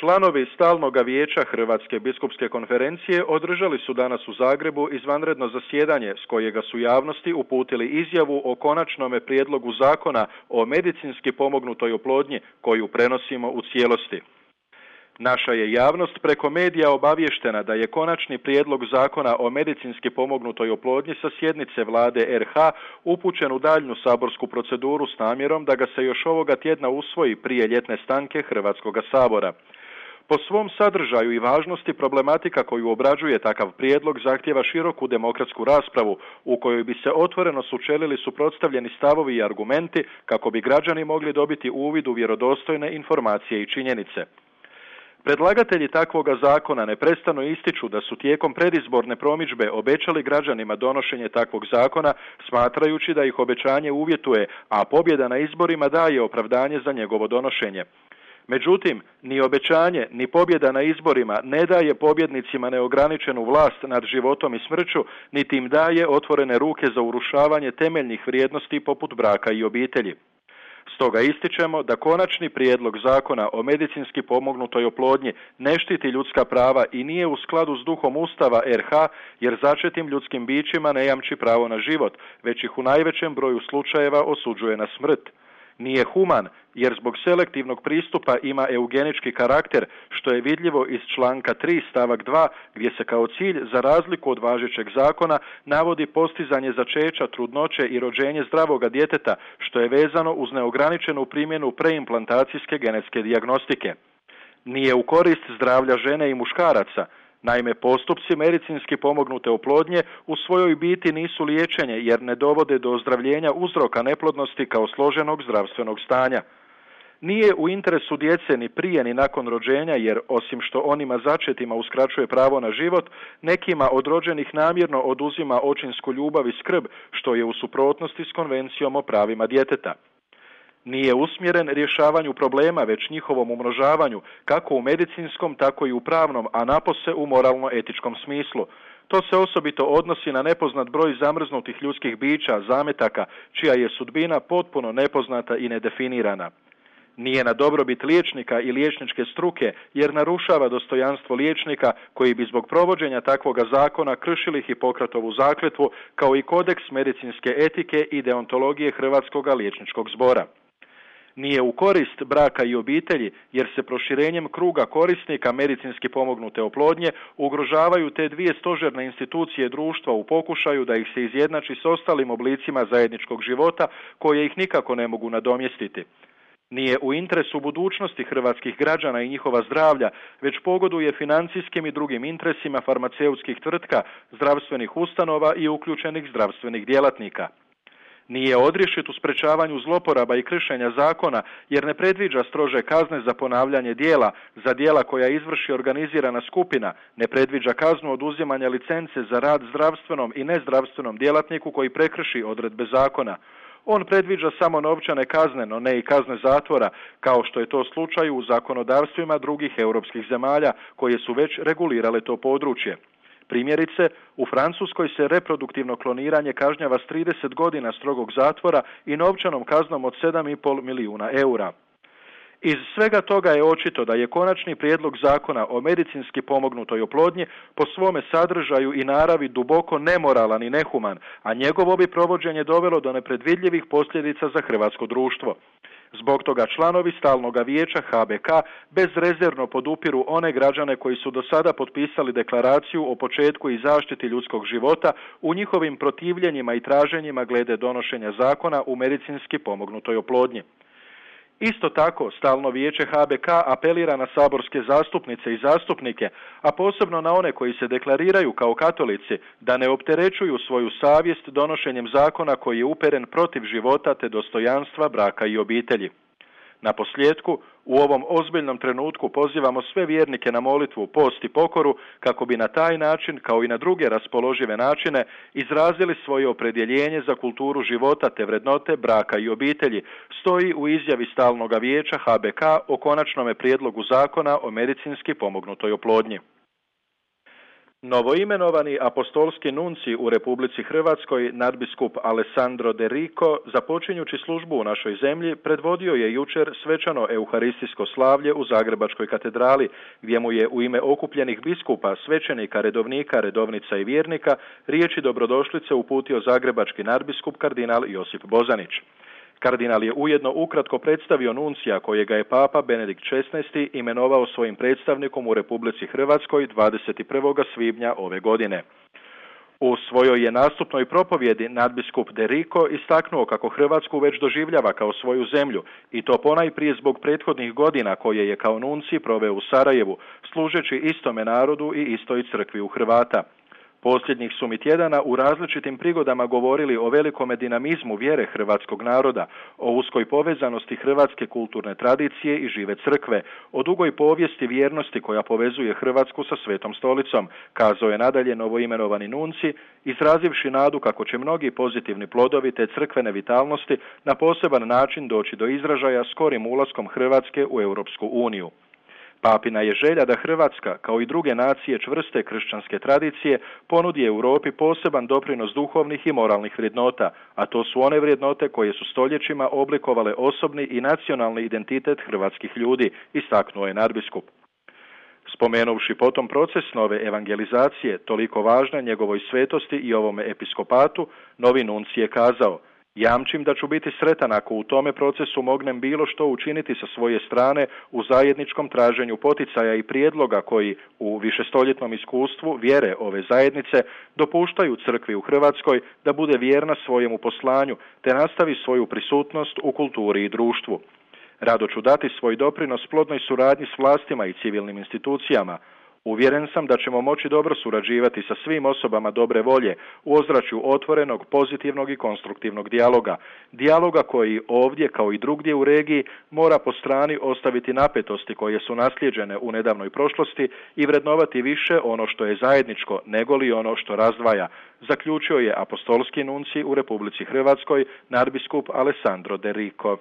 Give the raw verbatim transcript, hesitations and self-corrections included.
Članovi Stalnoga vijeća Hrvatske biskupske konferencije održali su danas u Zagrebu izvanredno zasjedanje s kojega su javnosti uputili izjavu o konačnome prijedlogu zakona o medicinski pomognutoj oplodnji koju prenosimo u cijelosti. Naša je javnost preko medija obavještena da je konačni prijedlog zakona o medicinski pomognutoj oplodnji sa sjednice Vlade er ha upućen u daljnju saborsku proceduru s namjerom da ga se još ovoga tjedna usvoji prije ljetne stanke Hrvatskoga sabora. Po svom sadržaju i važnosti problematika koju obrađuje takav prijedlog zahtijeva široku demokratsku raspravu u kojoj bi se otvoreno sučelili suprotstavljeni stavovi i argumenti kako bi građani mogli dobiti uvid u vjerodostojne informacije i činjenice. Predlagatelji takvoga zakona neprestano ističu da su tijekom predizborne promidžbe obećali građanima donošenje takvog zakona, smatrajući da ih obećanje uvjetuje, a pobjeda na izborima daje opravdanje za njegovo donošenje. Međutim, ni obećanje, ni pobjeda na izborima ne daje pobjednicima neograničenu vlast nad životom i smrću, niti im daje otvorene ruke za urušavanje temeljnih vrijednosti poput braka i obitelji. Stoga ističemo da konačni prijedlog zakona o medicinski pomognutoj oplodnji ne štiti ljudska prava i nije u skladu s duhom Ustava er ha, jer začetim ljudskim bićima ne jamči pravo na život, već ih u najvećem broju slučajeva osuđuje na smrt. Nije human, jer zbog selektivnog pristupa ima eugenički karakter, što je vidljivo iz članka tri stavak dva, gdje se kao cilj, za razliku od važećeg zakona, navodi postizanje začeća, trudnoće i rođenje zdravoga djeteta, što je vezano uz neograničenu primjenu preimplantacijske genetske dijagnostike. Nije u korist zdravlja žene i muškaraca. Naime, postupci medicinski pomognute oplodnje u svojoj biti nisu liječenje jer ne dovode do ozdravljenja uzroka neplodnosti kao složenog zdravstvenog stanja. Nije u interesu djece ni prije ni nakon rođenja jer, osim što onima začetima uskraćuje pravo na život, nekima od rođenih namjerno oduzima očinsku ljubav i skrb, što je u suprotnosti s konvencijom o pravima djeteta. Nije usmjeren rješavanju problema, već njihovom umnožavanju, kako u medicinskom, tako i u pravnom, a napose u moralno-etičkom smislu. To se osobito odnosi na nepoznat broj zamrznutih ljudskih bića, zametaka, čija je sudbina potpuno nepoznata i nedefinirana. Nije na dobrobit liječnika i liječničke struke, jer narušava dostojanstvo liječnika koji bi zbog provođenja takvoga zakona kršili Hipokratovu zakletvu, kao i kodeks medicinske etike i deontologije Hrvatskoga liječničkog zbora. Nije u korist braka i obitelji, jer se proširenjem kruga korisnika medicinski pomognute oplodnje ugrožavaju te dvije stožerne institucije društva u pokušaju da ih se izjednači s ostalim oblicima zajedničkog života koje ih nikako ne mogu nadomjestiti. Nije u interesu budućnosti hrvatskih građana i njihova zdravlja, već pogoduje financijskim i drugim interesima farmaceutskih tvrtka, zdravstvenih ustanova i uključenih zdravstvenih djelatnika. Nije odrješit u sprečavanju zloporaba i kršenja zakona, jer ne predviđa strože kazne za ponavljanje djela, za djela koja izvrši organizirana skupina, ne predviđa kaznu oduzimanja licence za rad zdravstvenom i nezdravstvenom djelatniku koji prekrši odredbe zakona. On predviđa samo novčane kazne, no ne i kazne zatvora, kao što je to slučaj u zakonodavstvima drugih europskih zemalja koje su već regulirale to područje. Primjerice, u Francuskoj se reproduktivno kloniranje kažnjava s trideset godina strogog zatvora i novčanom kaznom od sedam i pol milijuna eura. Iz svega toga je očito da je konačni prijedlog zakona o medicinski pomognutoj oplodnji po svome sadržaju i naravi duboko nemoralan i nehuman, a njegovo bi provođenje dovelo do nepredvidljivih posljedica za hrvatsko društvo. Zbog toga članovi Stalnoga vijeća ha be ka bezrezervno podupiru one građane koji su do sada potpisali deklaraciju o početku i zaštiti ljudskog života u njihovim protivljenjima i traženjima glede donošenja zakona u medicinski pomognutoj oplodnji. Isto tako, Stalno vijeće ha be ka apelira na saborske zastupnice i zastupnike, a posebno na one koji se deklariraju kao katolici, da ne opterećuju svoju savjest donošenjem zakona koji je uperen protiv života te dostojanstva braka i obitelji. Na posljedku, u ovom ozbiljnom trenutku pozivamo sve vjernike na molitvu, post i pokoru kako bi na taj način, kao i na druge raspoložive načine, izrazili svoje opredjeljenje za kulturu života te vrednote braka i obitelji, stoji u izjavi Stalnoga vijeća ha be ka o konačnome prijedlogu zakona o medicinski pomognutoj oplodnji. Novoimenovani apostolski nunci u Republici Hrvatskoj, nadbiskup Alessandro De Rico, započinjući službu u našoj zemlji, predvodio je jučer svečano euharistijsko slavlje u Zagrebačkoj katedrali, gdje mu je u ime okupljenih biskupa, svećenika, redovnika, redovnica i vjernika riječi dobrodošlice uputio zagrebački nadbiskup kardinal Josip Bozanić. Kardinal je ujedno ukratko predstavio nuncija kojega je Papa Benedikt šesnaesti imenovao svojim predstavnikom u Republici Hrvatskoj dvadeset prvog svibnja ove godine. U svojoj je nastupnoj propovjedi nadbiskup De Rico istaknuo kako Hrvatsku već doživljava kao svoju zemlju i to ponajprije zbog prethodnih godina koje je kao nunci proveo u Sarajevu, služeći istome narodu i istoj crkvi u Hrvata. Posljednjih su mi tjedana u različitim prigodama govorili o velikome dinamizmu vjere hrvatskog naroda, o uskoj povezanosti hrvatske kulturne tradicije i žive crkve, o dugoj povijesti vjernosti koja povezuje Hrvatsku sa Svetom stolicom, kazao je nadalje novoimenovani nunci, izrazivši nadu kako će mnogi pozitivni plodovi te crkvene vitalnosti na poseban način doći do izražaja skorim ulaskom Hrvatske u Europsku uniju. Papina je želja da Hrvatska, kao i druge nacije čvrste kršćanske tradicije, ponudi Europi poseban doprinos duhovnih i moralnih vrijednota, a to su one vrijednote koje su stoljećima oblikovale osobni i nacionalni identitet hrvatskih ljudi, istaknuo je nadbiskup. Spomenuvši potom proces nove evangelizacije, toliko važna njegovoj svetosti i ovome episkopatu, novi nunci je kazao: jamčim da ću biti sretan ako u tome procesu mognem bilo što učiniti sa svoje strane u zajedničkom traženju poticaja i prijedloga koji u višestoljetnom iskustvu vjere ove zajednice dopuštaju crkvi u Hrvatskoj da bude vjerna svojemu poslanju te nastavi svoju prisutnost u kulturi i društvu. Rado ću dati svoj doprinos plodnoj suradnji s vlastima i civilnim institucijama. Uvjeren sam da ćemo moći dobro surađivati sa svim osobama dobre volje u ozračju otvorenog, pozitivnog i konstruktivnog dijaloga. Dijaloga koji ovdje, kao i drugdje u regiji, mora po strani ostaviti napetosti koje su naslijeđene u nedavnoj prošlosti i vrednovati više ono što je zajedničko nego li ono što razdvaja, zaključio je apostolski nunci u Republici Hrvatskoj, nadbiskup Alessandro De Rico.